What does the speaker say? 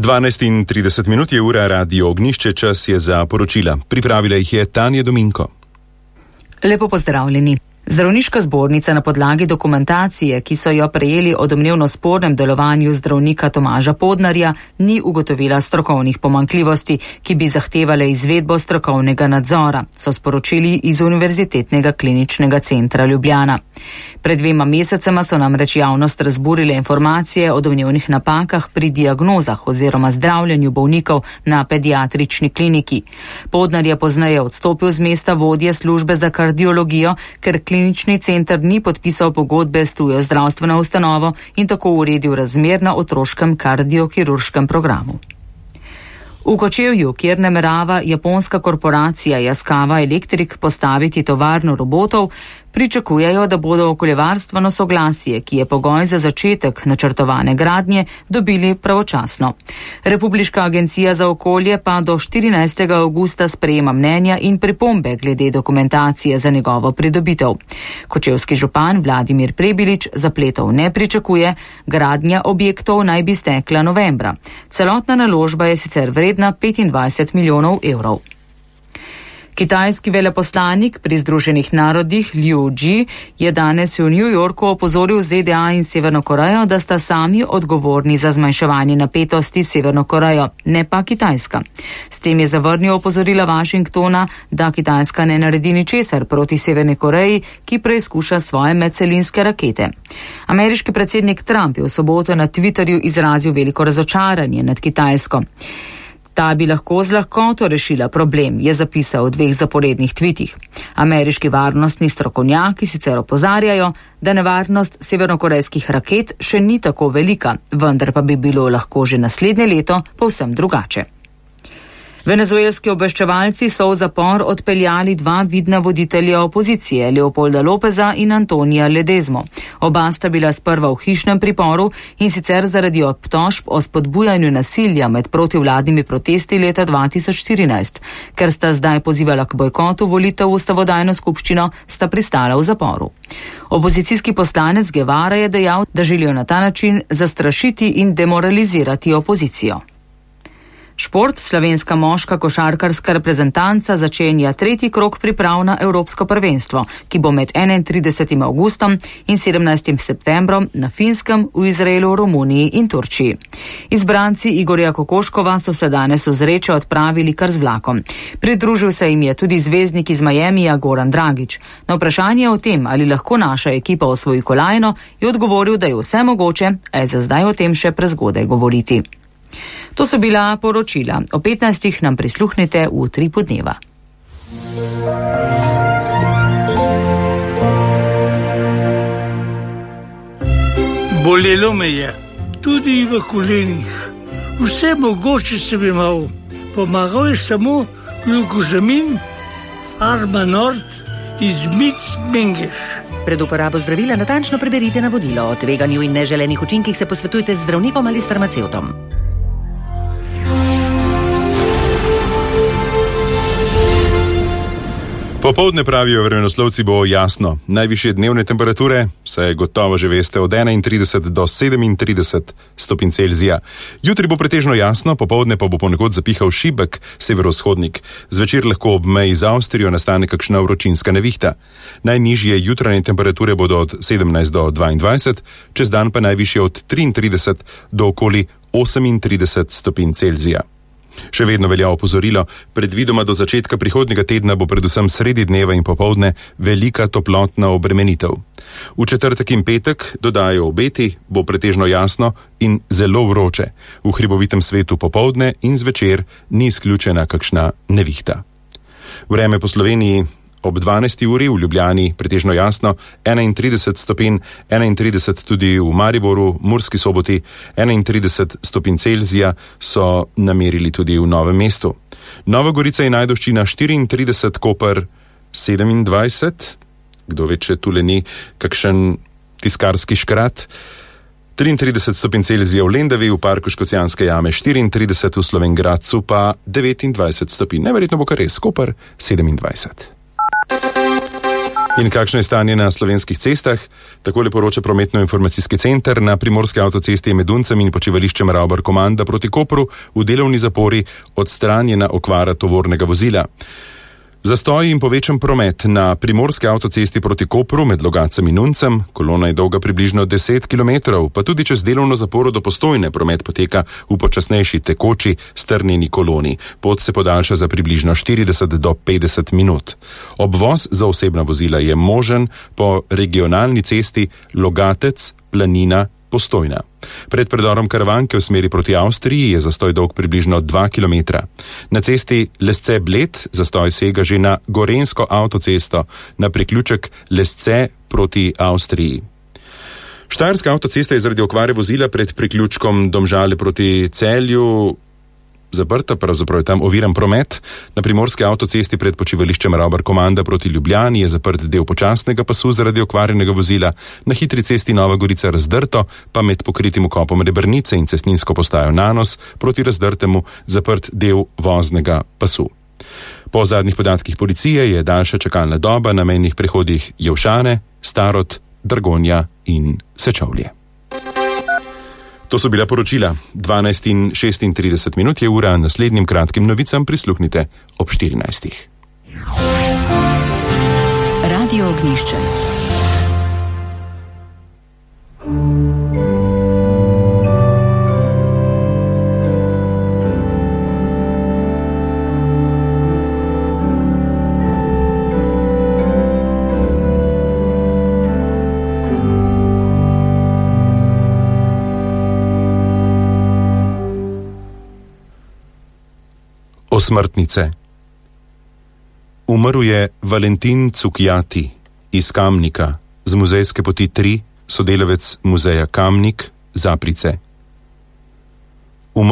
12:30 je ura, Radio Ognjišče, čas je za poročila. Pripravila jih je Tanja Dominko. Lepo pozdravljeni. Zdravniška zbornica na podlagi dokumentacije, ki so jo prejeli o domnevno spornem delovanju zdravnika Tomaža Podnarja, ni ugotovila strokovnih pomanjkljivosti, ki bi zahtevale izvedbo strokovnega nadzora, so sporočili iz Univerzitetnega kliničnega centra Ljubljana. Pred 2 mesecema so namreč javnost razburile informacije o domnevnih napakah pri diagnozah oziroma zdravljenju bolnikov na pediatrični kliniki. Podnar je pozneje odstopil z mesta vodje službe za kardiologijo, ker klinični center ni podpisal pogodbe s tujo zdravstveno ustanovo in tako uredil razmer na otroškem kardiokirurškem programu. V Kočevju, kjer namerava japonska korporacija Yaskawa Electric postaviti tovarno robotov, pričakujejo, da bodo okoljevarstveno soglasje, ki je pogoj za začetek načrtovane gradnje, dobili pravočasno. Republiška agencija za okolje pa do 14. avgusta sprejema mnenja in pripombe glede dokumentacije za njegovo pridobitev. Kočevski župan Vladimir Prebilič zapletov ne pričakuje, gradnja objektov naj bi stekla novembra. Celotna naložba je sicer vredna 25 milijonov evrov. Kitajski veleposlanik pri Združenih narodih Liu Ji je danes v New Yorku opozoril ZDA in Severno Korejo, da sta sami odgovorni za zmanjševanje napetosti s Severno Korejo, ne pa Kitajska. S tem je zavrnil opozorila Washingtona, da Kitajska ne naredi ničesar proti Severni Koreji, ki preizkuša svoje medcelinske rakete. Ameriški predsednik Trump je v soboto na Twitterju izrazil veliko razočaranje nad Kitajsko. Ta bi lahko z lahkoto rešila problem, je zapisal v 2 zaporednih tvitih. Ameriški varnostni strokovnjaki sicer opozarjajo, da nevarnost severnokorejskih raket še ni tako velika, vendar pa bi bilo lahko že naslednje leto povsem drugače. Venezuelski obveščevalci so v zapor odpeljali 2 vidna voditelja opozicije, Leopolda Lopeza in Antonija Ledezmo. Oba sta bila sprva v hišnem priporu in sicer zaradi obtožb o spodbujanju nasilja med protivladnimi protesti leta 2014. Ker sta zdaj pozivala k bojkotu volitev v ustavodajno skupščino, sta pristala v zaporu. Opozicijski poslanec Guevara je dejal, da želijo na ta način zastrašiti in demoralizirati opozicijo. Šport, slovenska moška košarkarska reprezentanca začenja 3. krog priprav na Evropsko prvenstvo, ki bo med 31. avgustom in 17. septembrom na Finskem, v Izraelu, Romuniji in Turčiji. Izbranci Igorja Kokoškova so se danes v Zreče odpravili kar z vlakom. Pridružil se jim je tudi zvezdnik iz Miamija Goran Dragić. Na vprašanje o tem, ali lahko naša ekipa osvoji kolajno, je odgovoril, da je vse mogoče, a je za zdaj o tem še prezgodaj govoriti. To so bila poročila. O 15. nam prisluhnite v Utripu dneva. Bolelo me je, tudi v kolenih. Vse mogoče sem imel. Pomagal je samo glukozamin, Farma Nord iz Mengeš. Pred uporabo zdravila natančno preberite navodilo. O tveganju in neželenih učinkih se posvetujte z zdravnikom ali s farmacevtom. Popoldne, pravijo vremenoslovci, bo jasno. Najvišje dnevne temperature, saj gotovo že veste, od 31 do 37 stopinj Celzija. Jutri bo pretežno jasno, popoldne pa bo ponekod zapihal šibek severovzhodnik. Zvečer lahko ob meji z Avstrijo nastane kakšna vročinska nevihta. Najnižje jutranje temperature bodo od 17 do 22, čez dan pa najvišje od 33 do okoli 38 stopinj Celzija. Še vedno velja opozorilo, predvidoma do začetka prihodnjega tedna bo predvsem sredi dneva in popoldne velika toplotna obremenitev. V četrtek in petek, dodajo obeti, bo pretežno jasno in zelo vroče. V hribovitem svetu popoldne in zvečer ni izključena kakšna nevihta. Vreme po Sloveniji. Ob 12. uri v Ljubljani pretežno jasno, 31 stopinj, 31 tudi v Mariboru, Murski Soboti, 31 stopinj Celzija so namerili tudi v Novem mestu. Nova Gorica in Ajdovščina 34, Koper 27, kdo ve, če tule ni kakšen tiskarski škrat, 33 stopinj Celzija v Lendavi, v parku Škocjanske jame 34, v Slovenj Gradcu pa 29 stopinj. Neverjetno bo kar res, Koper 27. In kakšno je stanje na slovenskih cestah? Takole poroča prometno-informacijski center. Na primorski avtocesti je med Duncem in počivališčem Ravbar-Komanda proti Kopru v delovni zapori odstranjena okvara tovornega vozila. Zastoji in povečan promet na primorski avtocesti proti Kopru med Logatcem in Duncem. Kolona je dolga približno 10 km, pa tudi čez delovno zaporo do Postojne promet poteka v počasnejši tekoči strnjeni koloni. Pot se podaljša za približno 40 do 50 minut. Obvoz za osebna vozila je možen po regionalni cesti Logatec, Planina, Postojna. Pred predorom Karavanke v smeri proti Avstriji je zastoj dolg približno 2 km. Na cesti Lesce-Bled zastoj sega že na Gorenjsko avtocesto, na priključek Lesce proti Avstriji. Štajerska avtocesta je zaradi okvare vozila pred priključkom Domžale proti Celju zaprta, pravzaprav je tam oviran promet. Na primorski avtocesti pred počivališčem Ravbar-Komanda proti Ljubljani je zaprt del počasnega pasu zaradi okvarjenega vozila, na hitri cesti Nova Gorica Razdrto, pa med pokritim vkopom Rebrnice in cestninsko postajo Nanos proti Razdrtemu zaprt del voznega pasu. Po zadnjih podatkih policije je daljša čakalna doba na mejnih prehodih Jevšane, Starod, Dragonja in Sečovlje. To so bila poročila. 12:36 je ura, naslednjim kratkim novicam prisluhnite ob 14. Radio Ognjišče. Osmrtnice. Umrl je Valentin Cukjati iz Kamnika, z muzejske poti 3, sodelavec muzeja Kamnik, Zaprice.